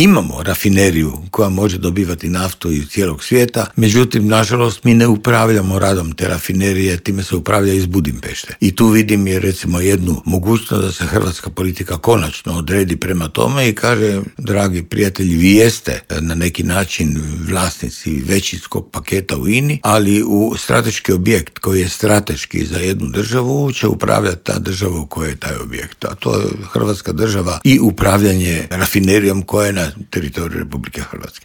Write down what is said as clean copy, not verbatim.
imamo rafineriju koja može dobivati naftu iz cijelog svijeta, međutim, nažalost, mi ne upravljamo radom te rafinerije, time se upravlja iz Budimpešte. I tu vidim je recimo jednu mogućnost da se hrvatska politika konačno odredi prema tome i kaže, dragi prijatelji, vi jeste na neki način vlasnici većinskog paketa u INA-i, ali u strateški objekt koji je strateški za jednu državu će upravljati ta država u kojoj je taj objekt. A to je Hrvatska država i upravljanje rafinerijom koja je na teritoriju Republike Hrvatske.